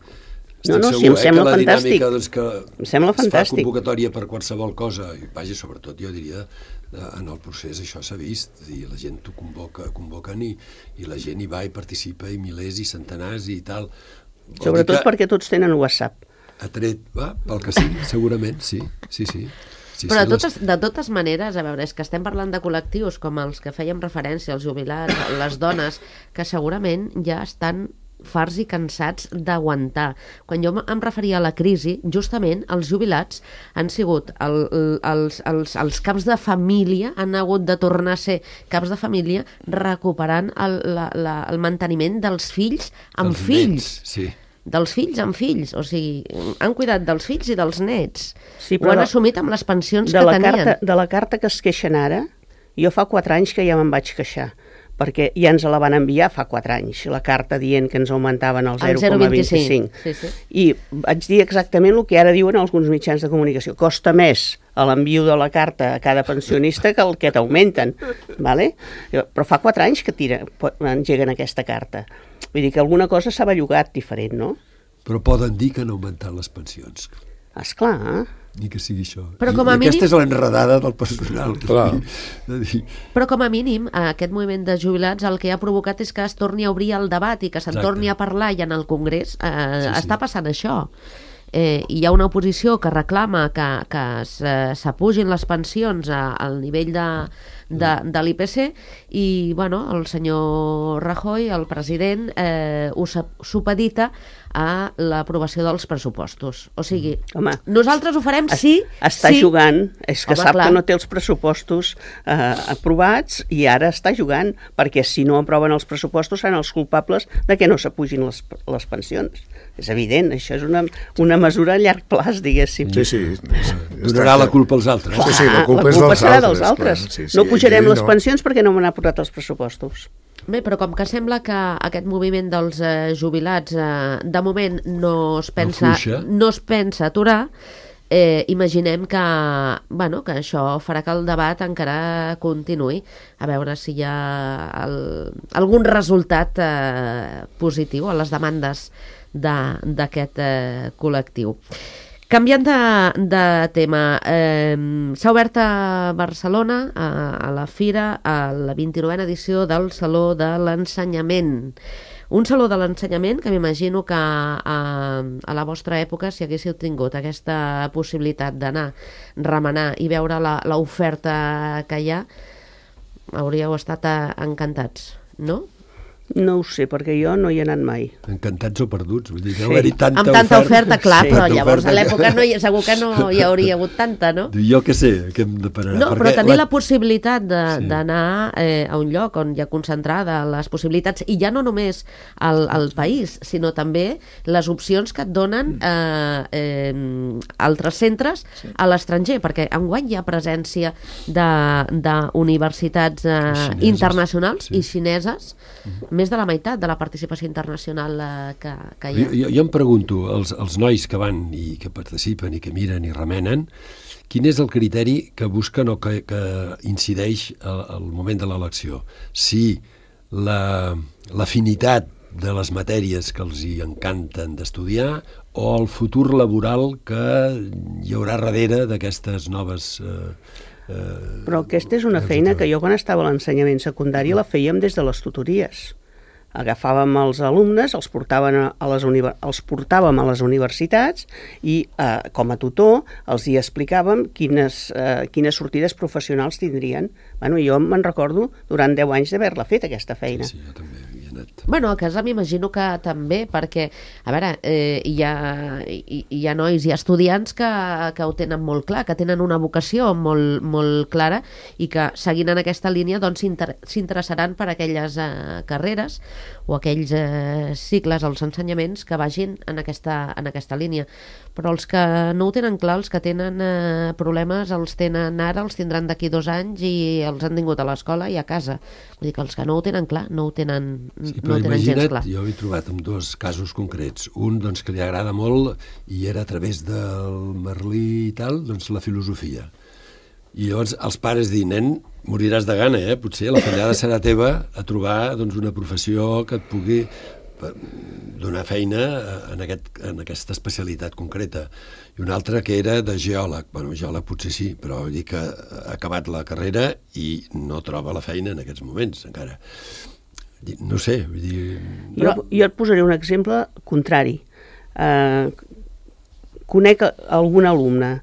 Speaker 3: Estic
Speaker 4: no, no,
Speaker 3: segur,
Speaker 4: sí, em
Speaker 3: eh,
Speaker 4: sembla
Speaker 3: que la
Speaker 4: fantàstic.
Speaker 3: dinàmica doncs, que
Speaker 4: em sembla
Speaker 3: es
Speaker 4: fantàstic.
Speaker 3: fa convocatòria per qualsevol cosa, i vaja, sobretot jo diria, en el procés això s'ha vist, dir, la gent t'ho convoca, convoquen i, i la gent hi va i participa, i milers i centenars i tal. Vol
Speaker 4: Sobretot perquè tots tenen WhatsApp.
Speaker 3: Ha tret, va, pel que sigui, segurament, sí, sí, sí. Sí,
Speaker 2: Però
Speaker 3: sí,
Speaker 2: de totes, de totes maneres, a veure, és que estem parlant de col·lectius com els que fèiem referència, els jubilats, les dones, que segurament ja estan farts i cansats d'aguantar. Quan jo em referia a la crisi, justament els jubilats han sigut el, els, els, els caps de família, han hagut de tornar a ser caps de família recuperant el, la, la, el manteniment dels fills amb
Speaker 3: els
Speaker 2: fills.
Speaker 3: Nets, sí.
Speaker 2: Dels fills amb fills, o sigui, han cuidat dels fills i dels nets.
Speaker 4: Sí,
Speaker 2: ho han assumit amb les pensions
Speaker 4: de
Speaker 2: que
Speaker 4: la
Speaker 2: tenien.
Speaker 4: Carta, de la carta que es queixen ara, jo fa quatre anys que ja me'n vaig queixar, perquè ja ens la van enviar fa quatre anys, la carta dient que ens augmentaven el zero coma vint-i-cinc.
Speaker 2: Sí, sí.
Speaker 4: I vaig dir exactament el que ara diuen alguns mitjans de comunicació. Costa més a l'enviu de la carta a cada pensionista que el que t'augmenten. ¿Vale? Però fa quatre anys que tira, engeguen aquesta carta. Vull dir que alguna cosa s'ha bellugat diferent, no?
Speaker 3: Però poden dir que han augmentat les pensions.
Speaker 4: Esclar, eh?
Speaker 3: Ni que sigui això.
Speaker 2: Però
Speaker 3: I,
Speaker 2: com a
Speaker 3: i
Speaker 2: mínim...
Speaker 3: aquesta és l'enredada del personal.
Speaker 5: Clar.
Speaker 3: De dir...
Speaker 2: Però com a mínim, aquest moviment de jubilats el que ha provocat és que es torni a obrir el debat i que se'n torni a parlar, i en el Congrés eh, sí, està sí. passant això. Eh, hi ha una oposició que reclama que, que s'apugin les pensions a, al nivell de, de, de l'I P C i bueno, el senyor Rajoy, el president, eh, ho supedita a l'aprovació dels pressupostos. O sigui,
Speaker 4: Home,
Speaker 2: nosaltres ho farem si...
Speaker 4: Està
Speaker 2: si...
Speaker 4: jugant, és que
Speaker 2: Home,
Speaker 4: sap
Speaker 2: clar.
Speaker 4: que no té els pressupostos eh, aprovats i ara està jugant, perquè si no aproven els pressupostos seran els culpables de que no s'apugin les, les pensions. És evident, això és una, una mesura a llarg plaç, diguéssim.
Speaker 5: Sí, sí.
Speaker 3: Donarà la culpa als altres.
Speaker 4: Clar,
Speaker 5: Sí, sí, la culpa
Speaker 4: la
Speaker 5: és
Speaker 4: culpa
Speaker 5: dels
Speaker 4: serà
Speaker 5: altres,
Speaker 4: dels altres.
Speaker 5: clar. Sí, sí,
Speaker 4: no pujarem
Speaker 5: ell
Speaker 4: les
Speaker 5: no.
Speaker 4: pensions perquè no m'han aportat els pressupostos.
Speaker 2: Bé, però com que sembla que aquest moviment dels eh, jubilats eh, de moment no es pensa,
Speaker 3: Afluixa.
Speaker 2: no es pensa aturar, eh, imaginem que, bueno, que això farà que el debat encara continuï, a veure si hi ha el, algun resultat eh, positiu a les demandes d'aquest de, eh, col·lectiu. Canviant de, de tema, eh, s'ha obert a Barcelona, a, a la Fira, a la vint-i-novena edició del Saló de l'Ensenyament. Un saló de l'ensenyament que m'imagino que a, a la vostra època, si haguéssiu tingut aquesta possibilitat d'anar, remenar i veure l'oferta que hi ha, hauríeu estat encantats, no?
Speaker 4: No ho sé, perquè jo no hi he anat mai.
Speaker 3: Encantats o perduts, vull dir,
Speaker 4: Sí.
Speaker 3: deu haver-hi tanta
Speaker 2: Amb tanta oferta,
Speaker 3: oferta,
Speaker 2: clar,
Speaker 4: Sí.
Speaker 2: però
Speaker 3: Tanta
Speaker 2: llavors a
Speaker 3: oferta
Speaker 2: l'època
Speaker 3: que-
Speaker 2: no hi, segur que no hi hauria hagut tanta, no?
Speaker 3: Jo què sé, què hem de parar.
Speaker 2: No, però
Speaker 3: Perquè
Speaker 2: tenir la possibilitat
Speaker 3: Sí.
Speaker 2: d'anar eh, a un lloc on hi ha concentrada les possibilitats, i ja no només al, al país, sinó també les opcions que et donen eh, eh, altres centres sí. a l'estranger, perquè enguany hi ha presència d'universitats eh,
Speaker 3: Xineses.
Speaker 2: internacionals
Speaker 3: Sí.
Speaker 2: i xineses, mm-hmm. més de la meitat de la participació internacional eh, que, que hi ha.
Speaker 3: Jo, jo, jo em pregunto, els, els nois que van i que participen i que miren i remenen, quin és el criteri que busquen o que, que incideix al, al moment de l'elecció? Si l'afinitat de les matèries que els hi encanten d'estudiar o el futur laboral que hi haurà darrere d'aquestes noves... Eh, eh,
Speaker 4: Però aquesta és una feina que jo quan estava a l'ensenyament secundari la fèiem des de les tutories. Agafàvem els alumnes, els portàvem a les, univer... els portàvem a les universitats i eh, com a tutor els hi explicàvem quines, eh, quines sortides professionals tindrien. Bueno, jo me'n recordo durant deu anys d'haver-la fet, aquesta feina.
Speaker 3: Sí, sí, jo també hi he anat.
Speaker 2: Bueno, a casa m'imagino que també, perquè, a veure, eh, hi, ha, hi, hi ha nois, hi ha estudiants que, que ho tenen molt clar, que tenen una vocació molt, molt clara i que, seguint en aquesta línia, doncs s'interessaran per aquelles eh, carreres o aquells eh, cicles, els ensenyaments que vagin en aquesta, en aquesta línia. Però els que no ho tenen clar, els que tenen eh, problemes, els tenen ara, els tindran d'aquí dos anys i els han tingut a l'escola i a casa. Vull dir que els que no ho tenen clar, no ho tenen,
Speaker 3: sí,
Speaker 2: no ho tenen gens clar.
Speaker 3: Jo he trobat en dos casos concrets. Un, doncs, que li agrada molt i era a través del Merlí i tal, doncs la filosofia. I llavors els pares diuen, nen, moriràs de gana, eh? Potser la fallada serà teva a trobar doncs, una professió que et pugui donar feina en, aquest, en aquesta especialitat concreta. I una altra que era de geòleg. Bueno, geòleg potser sí, però vull dir que ha acabat la carrera i no troba la feina en aquests moments encara. No sé, vull dir...
Speaker 4: Jo, jo et posaré un exemple contrari. Uh, conec algun alumne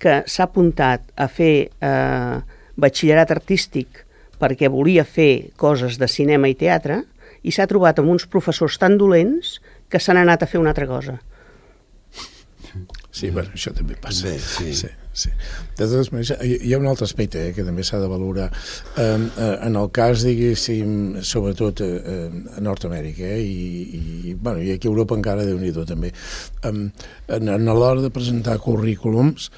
Speaker 4: que s'ha apuntat a fer eh, batxillerat artístic perquè volia fer coses de cinema i teatre i s'ha trobat amb uns professors tan dolents que s'han anat a fer una altra cosa.
Speaker 5: Sí, bueno, això també passa.
Speaker 3: Bé, sí.
Speaker 5: Sí, sí. De totes maneres, hi ha un altre aspecte eh, que també s'ha de valorar. Eh, eh, en el cas, diguéssim, sobretot eh, a Nord-Amèrica eh, i, i, bueno, i aquí a Europa encara Déu-n'hi-do també, eh, en, en l'hora de presentar currículums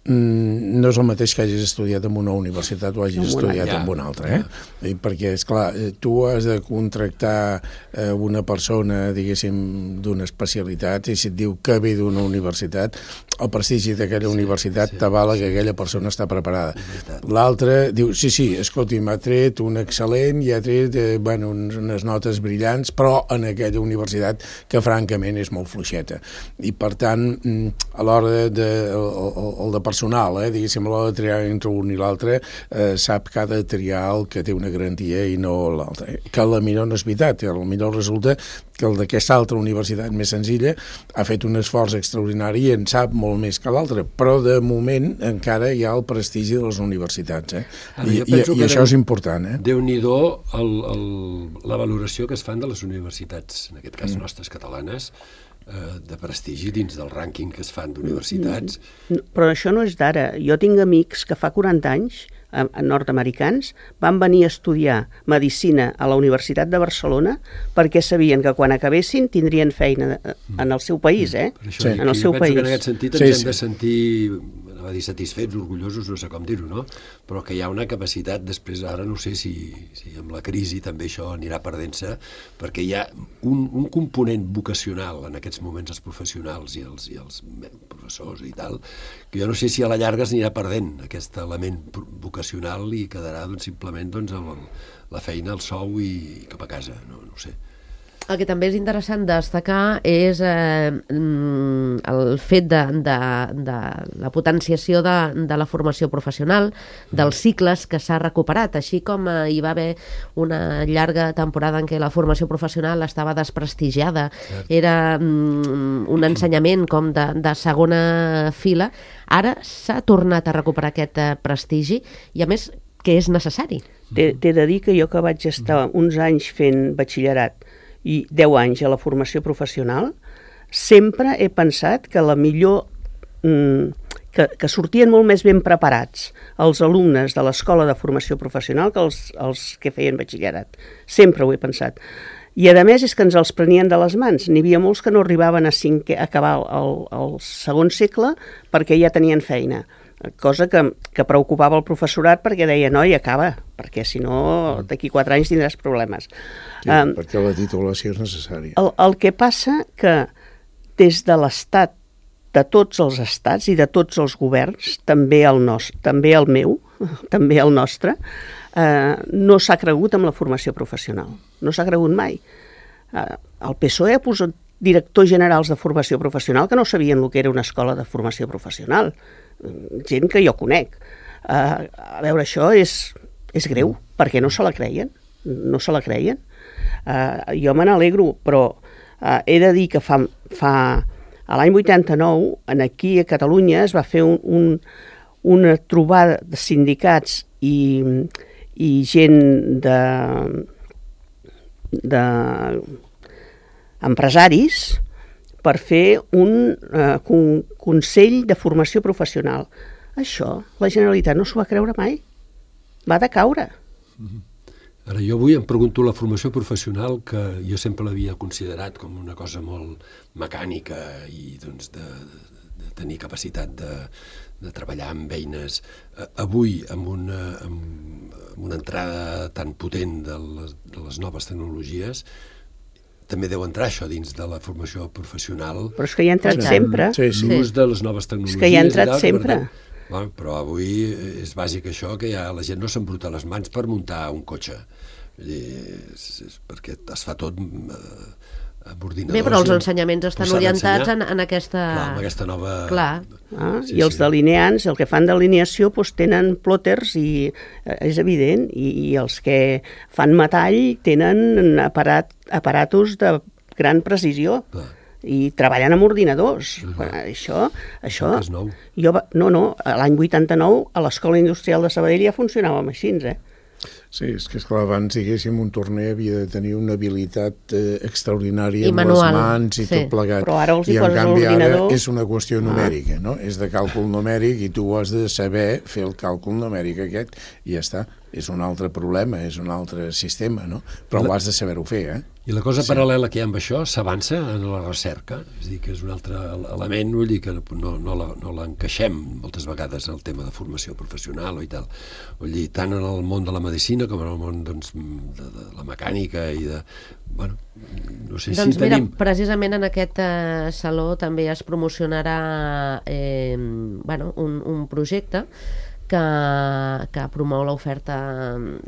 Speaker 5: no és el mateix que hagis estudiat en una universitat o hagis estudiat en una altra, eh? Perquè, esclar, tu has de contractar una persona, diguéssim, d'una especialitat i si et diu que ve d'una universitat, el prestigi d'aquella universitat t'avala que aquella persona està preparada. L'altre diu, sí, sí, escolti, m'ha tret un excel·lent i ha tret eh, bueno, unes notes brillants, però en aquella universitat que francament és molt fluixeta. I per tant, a l'hora de, el, el de personal, eh, diguéssim, a l'hora de triar entre un i l'altre, eh, sap que ha de triar el que té una garantia i no l'altre. Que la millor no és veritat, el millor resulta que el d'aquesta altra universitat més senzilla ha fet un esforç extraordinari i en sap molt més que l'altre, però de moment encara hi ha el prestigi de les universitats, eh? Ara, I, i, i això és important, eh?
Speaker 3: Déu-n'hi-do el, el, la valoració que es fan de les universitats, en aquest cas mm. nostres catalanes, de prestigi dins del rànquing que es fan d'universitats.
Speaker 4: Però això no és d'ara. Jo tinc amics que fa quaranta anys, nord-americans, van venir a estudiar medicina a la Universitat de Barcelona perquè sabien que quan acabessin tindrien feina en el seu país, eh?
Speaker 3: Això,
Speaker 4: en el seu
Speaker 3: penso
Speaker 4: país.
Speaker 3: Que en aquest sentit ens sí, hem de sentir a dir satisfets, orgullosos, no sé com dir-ho, no? Però que hi ha una capacitat, després, ara no sé si, si amb la crisi també això anirà perdent-se, perquè hi ha un, un component vocacional en aquests moments els professionals i els, i els professors i tal, que jo no sé si a la llarga s'anirà perdent aquest element vocacional i quedarà doncs, simplement doncs, amb la feina, el sou i cap a casa, no, no ho sé.
Speaker 2: El que també és interessant destacar és eh, el fet de, de, de la potenciació de, de la formació professional, dels cicles que s'ha recuperat, així com eh, hi va haver una llarga temporada en què la formació professional estava desprestigiada, Cert. era mm, un ensenyament com de, de segona fila, ara s'ha tornat a recuperar aquest eh, prestigi i a més que és necessari.
Speaker 4: T'he de dir que jo que vaig estar uns anys fent batxillerat i deu anys a la formació professional, sempre he pensat que la millor mm, que, que sortien molt més ben preparats els alumnes de l'escola de formació professional que els, els que feien batxillerat. Sempre ho he pensat. I a més és que ens els prenien de les mans. N'hi havia molts que no arribaven a, cinquè, a acabar el, el segon segle perquè ja tenien feina. Cosa que, que preocupava el professorat perquè deia, noi, acaba, perquè si no d'aquí quatre anys tindràs problemes.
Speaker 5: Sí, um, perquè la titulació és necessària.
Speaker 4: El, el que passa que des de l'Estat, de tots els estats i de tots els governs, també el nostre, també el meu, també el nostre, eh, no s'ha cregut amb la formació professional. No s'ha cregut mai. Eh, el P S O E ha posat directors generals de formació professional que no sabien el que era una escola de formació professional. Gent que jo conec. Eh, a veure, això és, és greu, perquè no se la creien. No se la creien. Eh, jo me n'alegro, però eh, he de dir que fa... fa a l'any vuitanta-nou, aquí a Catalunya, es va fer un, un, una trobada de sindicats i, i gent de, de empresaris per fer un eh, con, Consell de Formació Professional. Això, la Generalitat no s'ho va creure mai. Va decaure.
Speaker 3: Mm-hmm. Ara, jo avui em pregunto la formació professional, que jo sempre l'havia considerat com una cosa molt mecànica i doncs, de, de tenir capacitat de, de treballar amb eines. Avui, amb una, amb una entrada tan potent de les, de les noves tecnologies, també deu entrar això dins de la formació professional.
Speaker 4: Però és que hi ha entrat sempre.
Speaker 5: Sí, sí.
Speaker 3: L'ús de les noves tecnologies.
Speaker 4: És que hi ha entrat sempre.
Speaker 3: Bueno, però avui és bàsic això, que ja la gent no s'embruta les mans per muntar un cotxe. És, és perquè es fa tot eh, amb ordinadors.
Speaker 2: Bé, però els ensenyaments estan orientats en, en aquesta...
Speaker 3: Clar, amb aquesta nova...
Speaker 2: Clar.
Speaker 4: Ah,
Speaker 3: sí,
Speaker 4: I els
Speaker 3: sí.
Speaker 4: delineants, el que fan d'alineació, doncs tenen plòters i eh, és evident, i, i els que fan metall tenen aparat, aparatos de gran precisió. Clar. I treballant amb ordinadors. Uh -huh. Això, això...
Speaker 3: És nou.
Speaker 4: Jo va, no, no, l'any vuitanta-nou a l'Escola Industrial de Sabadell ja funcionàvem així, eh?
Speaker 5: Sí, és que esclar, abans, diguéssim, un torner havia de tenir una habilitat eh, extraordinària
Speaker 2: I
Speaker 5: amb
Speaker 2: manual,
Speaker 5: les mans i
Speaker 2: sí.
Speaker 5: tot plegat.
Speaker 4: Però ara els hi
Speaker 5: I en
Speaker 4: poses
Speaker 5: canvi
Speaker 4: l'ordinador...
Speaker 5: ara és una qüestió numèrica, no? És de càlcul numèric i tu has de saber fer el càlcul numèric aquest i ja està. És un altre problema, és un altre sistema, no? Però ho has de saber-ho fer, eh?
Speaker 3: I la cosa
Speaker 5: Sí.
Speaker 3: paral·lela que hi ha amb això s'avança en la recerca, és a dir, que és un altre element, vull dir que no, no, la, no l'encaixem moltes vegades en el tema de formació professional o i tal. Vull dir, tant en el món de la medicina com en el món doncs, de, de la mecànica i de... Bueno, no sé
Speaker 2: doncs
Speaker 3: si
Speaker 2: mira,
Speaker 3: tenim...
Speaker 2: precisament en aquest eh, saló també es promocionarà eh, bueno, un, un projecte que, que promou l'oferta,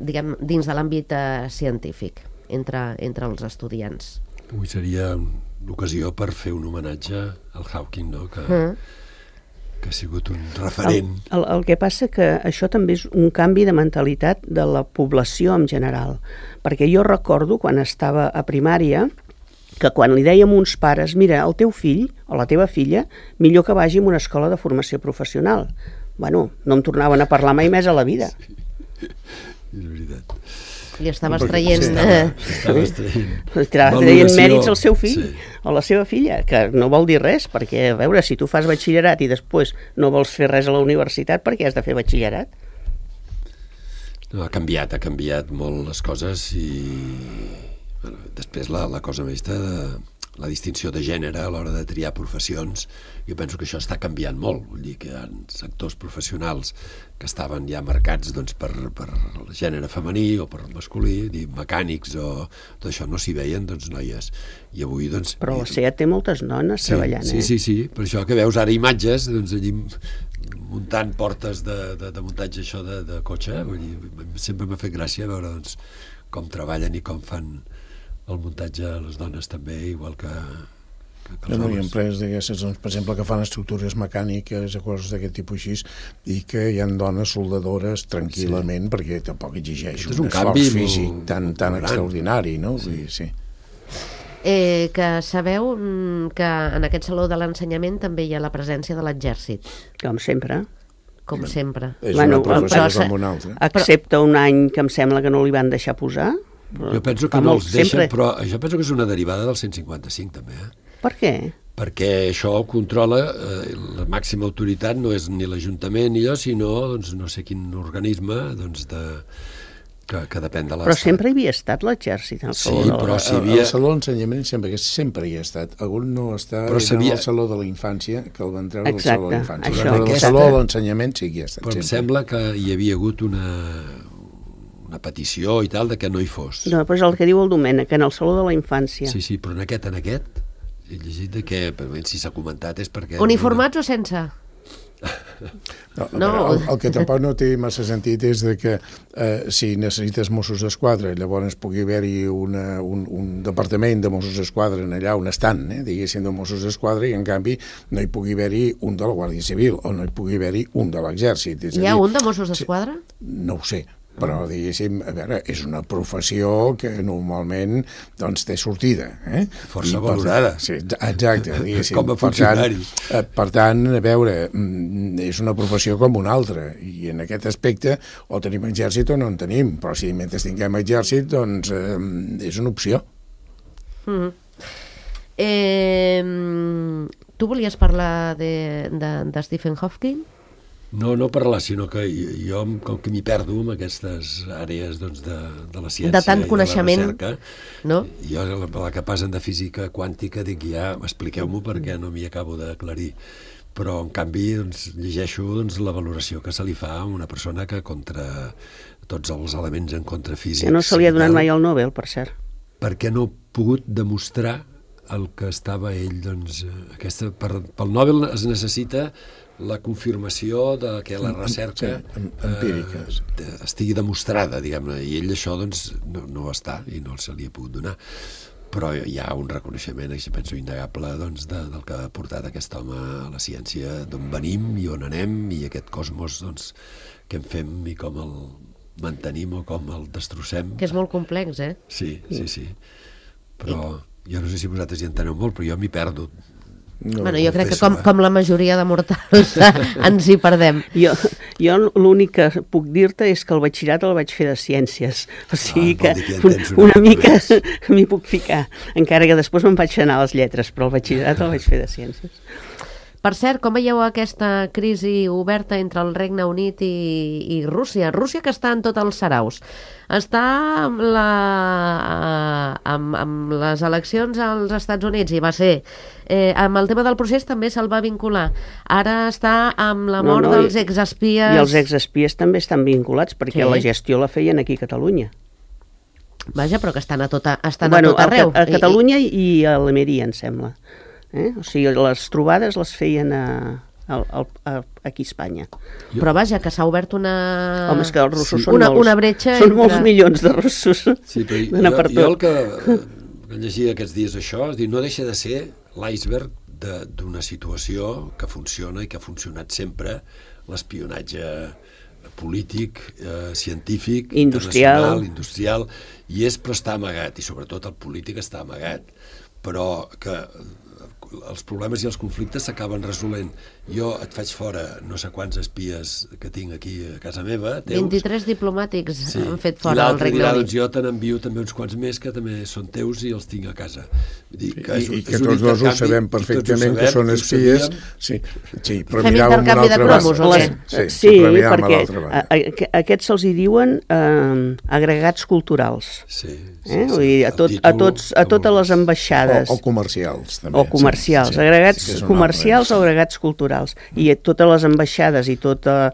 Speaker 2: diguem, dins de l'àmbit eh, científic entre, entre els estudiants.
Speaker 3: Avui seria l'ocasió per fer un homenatge al Hawking, no? que,
Speaker 2: Mm.
Speaker 3: que ha sigut un referent.
Speaker 4: El, el, el que passa que això també és un canvi de mentalitat de la població en general, perquè jo recordo quan estava a primària que quan li dèiem uns pares, mira, el teu fill o la teva filla, millor que vagi a una escola de formació professional. Bueno, no em tornaven a parlar mai més a la vida.
Speaker 3: Sí. És veritat.
Speaker 2: Li estaves
Speaker 5: Perquè
Speaker 2: traient...
Speaker 5: sí,
Speaker 2: eh,
Speaker 3: Estaves traient...
Speaker 4: Estaves traient mèrits al seu fill sí. o la seva filla, que no vol dir res, perquè, a veure, si tu fas batxillerat i després no vols fer res a la universitat, per què has de fer batxillerat?
Speaker 3: No, ha canviat, ha canviat molt les coses i bueno, després la, la cosa aquesta de la distinció de gènere a l'hora de triar professions, jo penso que això està canviant molt, vull dir que hi ha sectors professionals que estaven ja marcats doncs, per, per el gènere femení o per el masculí, dir, mecànics o tot això no s'hi veien, doncs, noies, i avui doncs...
Speaker 4: Però la SEAT té moltes dones
Speaker 3: sí,
Speaker 4: treballant,
Speaker 3: sí,
Speaker 4: eh?
Speaker 3: Sí, sí, per això que veus ara imatges, doncs allí muntant portes de, de, de muntatge això de, de cotxe, vull dir, sempre m'ha fet gràcia veure doncs, com treballen i com fan el muntatge a les dones també, igual que, que, que els
Speaker 5: No,
Speaker 3: homes.
Speaker 5: hi ha empreses d'aquestes, doncs, per exemple, que fan estructures mecàniques o coses d'aquest tipus així, i que hi ha dones soldadores tranquil·lament, sí. perquè tampoc exigeix
Speaker 3: Aquest és
Speaker 5: un,
Speaker 3: un canvi
Speaker 5: esforç físic
Speaker 3: molt-
Speaker 5: tan,
Speaker 3: molt
Speaker 5: tan
Speaker 3: gran.
Speaker 5: extraordinari, no? Sí. Vull dir, sí.
Speaker 2: eh, que sabeu mm, que en aquest saló de l'ensenyament també hi ha la presència de l'exèrcit,
Speaker 4: Com sempre.
Speaker 2: com sempre.
Speaker 5: És
Speaker 4: Bueno,
Speaker 5: una professió
Speaker 2: però-
Speaker 5: com una altra.
Speaker 4: Excepte un any que em sembla que no li van deixar posar. Però
Speaker 3: Jo penso que
Speaker 4: fa
Speaker 3: no
Speaker 4: molt-
Speaker 3: els deixen,
Speaker 4: sempre.
Speaker 3: però jo penso que és una derivada del cent cinquanta-cinc també, eh?
Speaker 4: Per què?
Speaker 3: Perquè això ho controla, eh, la màxima autoritat no és ni l'Ajuntament ni allò, sinó doncs, no sé quin organisme doncs, de, que, que depèn de l'Estat.
Speaker 4: Però sempre hi havia estat l'exèrcit al
Speaker 3: Sí,
Speaker 4: saló de
Speaker 3: però
Speaker 4: la...
Speaker 3: si
Speaker 5: El,
Speaker 3: havia-
Speaker 5: el Saló d'Ensenyament sempre, que sempre hi ha estat. Algun no està,
Speaker 3: Però
Speaker 5: era
Speaker 3: sabia-
Speaker 5: el Saló de la Infància, que el van treure del
Speaker 4: Exacte,
Speaker 5: Saló de la Infància.
Speaker 4: això.
Speaker 5: Però el
Speaker 3: Aquesta-
Speaker 5: Saló de l'Ensenyament sí que hi ha estat.
Speaker 3: Però em
Speaker 5: sempre.
Speaker 3: sembla que hi havia hagut una, una petició i tal de que no hi fos.
Speaker 4: No, però és el que diu el Domènec, que en el saló de la infància.
Speaker 3: Sí, sí, però en aquest, en aquest, he llegit de que, però bé, si s'ha comentat és perquè...
Speaker 2: Uniformats o sense?
Speaker 5: No, no. Veure, el, el que tampoc no té massa sentit és de que eh, si necessites Mossos d'Esquadra, llavors pugui haver-hi una, un, un departament de Mossos d'Esquadra allà on estan, eh, diguéssim, de Mossos d'Esquadra, i en canvi no hi pugui haver-hi un de la Guàrdia Civil o no hi pugui haver-hi un de l'Exèrcit.
Speaker 2: Hi ha un de Mossos d'Esquadra?
Speaker 5: No ho sé, però, diguéssim, a veure, és una professió que normalment doncs, té sortida. Eh?
Speaker 3: Força I, valorada.
Speaker 5: Sí, exacte, diguéssim.
Speaker 3: Com a funcionari.
Speaker 5: Per tant, per tant, a veure, és una professió com una altra, i en aquest aspecte o tenim exèrcit o no en tenim, però si mentre tinguem exèrcit, doncs eh, és una opció.
Speaker 2: Mm. Eh, tu volies parlar de, de, de Stephen Hawking?
Speaker 3: No, no parlar, sinó que jo com que m'hi perdo en aquestes àrees doncs, de, de la ciència
Speaker 2: de tant
Speaker 3: i
Speaker 2: coneixement,
Speaker 3: de la recerca.
Speaker 2: No?
Speaker 3: Jo, la, la que passen de física quàntica, dic ja, expliqueu-m'ho perquè no m'hi acabo d'aclarir. Però, en canvi, doncs, llegeixo doncs, la valoració que se li fa a una persona que contra tots els elements en contra físics...
Speaker 4: Que no se li ha donat mai el Nobel, per cert.
Speaker 3: Perquè no ha pogut demostrar el que estava ell, doncs, aquesta, per, pel Nobel es necessita la confirmació de que la recerca
Speaker 5: sí, empírica
Speaker 3: eh, estigui demostrada, diguem-ne, i ell això doncs, no, no està i no se li ha pogut donar. Però hi ha un reconeixement, això penso, innegable doncs, de, del que ha portat aquest home a la ciència, d'on venim i on anem, i aquest cosmos doncs, que en fem i com el mantenim o com el destrossem.
Speaker 2: Que és molt complex, eh?
Speaker 3: Sí, sí, sí. Però jo no sé si vosaltres hi enteneu molt, però jo m'hi perdo.
Speaker 2: No, bueno, jo crec que com, com la majoria de mortals ens hi perdem.
Speaker 4: Jo, jo l'únic que puc dir-te és que el batxillerat el vaig fer de ciències, o sigui ah, que, que una, una mica m'hi puc ficar, encara que després me'n vaig anar a les lletres, però el batxillerat el vaig fer de ciències.
Speaker 2: Per cert, com veieu aquesta crisi oberta entre el Regne Unit i, i Rússia? Rússia que està en tots els saraus. Està amb, la, amb, amb les eleccions als Estats Units i va ser... Eh, amb el tema del procés també se'l va vincular. Ara està amb la mort no, no, dels exespies...
Speaker 4: I els exespies també estan vinculats perquè sí. La gestió la feien aquí a Catalunya.
Speaker 2: Vaja, però que estan a tot, estan
Speaker 4: bueno,
Speaker 2: a tot arreu.
Speaker 4: A, a Catalunya i, i a Almeria, em sembla. Eh? O sigui, les trobades les feien a, a, a, aquí a Espanya.
Speaker 2: Però vaja, que s'ha obert una...
Speaker 4: Home, és que els russos
Speaker 2: sí.
Speaker 4: són,
Speaker 2: una,
Speaker 4: molts,
Speaker 2: una bretxa
Speaker 4: són
Speaker 2: entre...
Speaker 4: molts milions de russos.
Speaker 3: Sí, però jo, jo el que, que llegia aquests dies això, és dir, no deixa de ser l'iceberg d'una situació que funciona i que ha funcionat sempre, l'espionatge polític, eh, científic,
Speaker 4: industrial.
Speaker 3: internacional, industrial, i és però està amagat, i sobretot el polític està amagat, però que els problemes i els conflictes s'acaben resolent. Jo et faig fora no sé quants espies que tinc aquí a casa meva, teus.
Speaker 2: vint-i-tres diplomàtics sí. Han fet
Speaker 3: I
Speaker 2: fora al Regne
Speaker 3: dirà,
Speaker 2: Unit.
Speaker 3: Doncs jo te n'envio també uns quants més que també són teus i els tinc a casa. Vull dir, que
Speaker 5: I,
Speaker 3: és,
Speaker 5: I que tots dos ho sabem perfectament, que són espies. Sí, sí, però
Speaker 2: fem intercanvi de cromos, o què?
Speaker 4: Sí, sí, perquè a, a aquests se'ls hi diuen eh, agregats culturals.
Speaker 3: Sí, sí,
Speaker 4: eh?
Speaker 3: sí.
Speaker 4: Vull dir, a, tot, a, tots, a totes les ambaixades.
Speaker 5: O, o comercials, també.
Speaker 4: O comercials, sí, sí, agregats sí, comercials o agregats culturals. I a totes les ambaixades i tot, eh,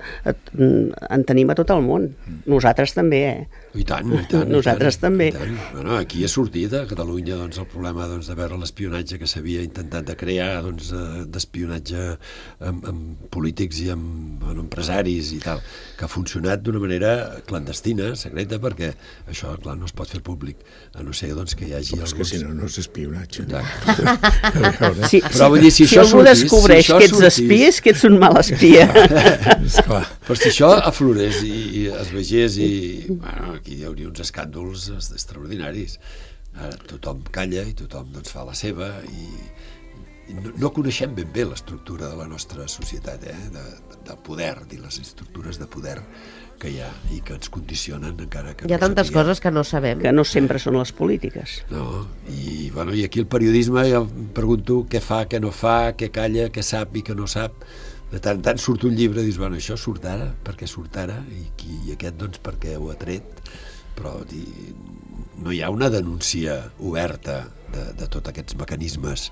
Speaker 4: en tenim a tot el món. Nosaltres també, eh?
Speaker 3: I tant, i tant.
Speaker 4: Nosaltres
Speaker 3: i tant,
Speaker 4: també.
Speaker 3: I tant. Bueno, aquí ha sortit a Catalunya doncs, el problema doncs, de veure l'espionatge que s'havia intentat de crear, doncs, d'espionatge amb, amb polítics i amb, amb empresaris i tal, que ha funcionat d'una manera clandestina, secreta, perquè això, clar, no es pot fer públic, a no ser doncs, que hi hagi
Speaker 5: però
Speaker 3: alguns...
Speaker 5: És que si no, no és espionatge.
Speaker 3: Exacte.
Speaker 4: Sí,
Speaker 3: però vull dir, si,
Speaker 4: si
Speaker 3: això
Speaker 4: algú
Speaker 3: sortís,
Speaker 4: descobreix
Speaker 3: si
Speaker 4: que ets
Speaker 3: sortís,
Speaker 4: espies, que ets un mal espia.
Speaker 3: Però si això aflorés i, i es vegés i... Bueno, aquí hi hauria uns escàndols extraordinaris. Ara tothom calla i tothom doncs, fa la seva i, i no, no coneixem ben bé l'estructura de la nostra societat, eh? de, de poder, dir les estructures de poder que hi ha i que ens condicionen encara que
Speaker 2: hi ha
Speaker 3: no
Speaker 2: tantes
Speaker 3: sapiguem.
Speaker 2: coses que no sabem.
Speaker 4: Que no sempre són les polítiques.
Speaker 3: No, i, bueno, i aquí el periodisme, jo em pregunto què fa, què no fa, què calla, què sap i què no sap. De tant en tant surt un llibre i dius, bueno, això surt ara, per què surt ara? I, i aquest, doncs, per què ho ha tret? Però di, no hi ha una denúncia oberta de, de tots aquests mecanismes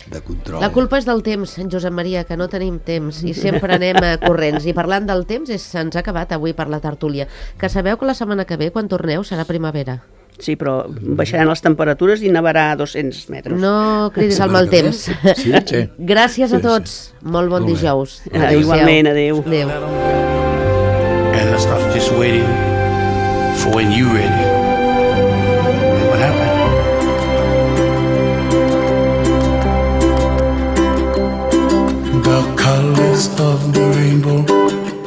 Speaker 3: de control.
Speaker 2: La culpa és del temps, Josep Maria, que no tenim temps i sempre anem a corrents. I parlant del temps, és, se'ns ha acabat avui per la tertúlia. Que sabeu que la setmana que ve, quan torneu, serà primavera.
Speaker 4: Sí, però baixaran les temperatures i nevarà a dos-cents metres.
Speaker 2: No cridis al mal temps.
Speaker 3: Sí,
Speaker 5: sí.
Speaker 2: Gràcies a tots. Molt bon
Speaker 3: Molt bé.
Speaker 2: dijous.
Speaker 4: Adéu, igualment, adéu.
Speaker 2: Adéu.
Speaker 1: And I started just waiting for when you ready. And what happened? The colors of the rainbow,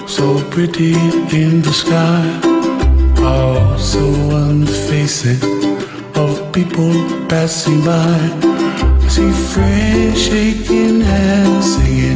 Speaker 1: so pretty in the sky, are also on the faces of people passing by. I see friends shaking hands, singing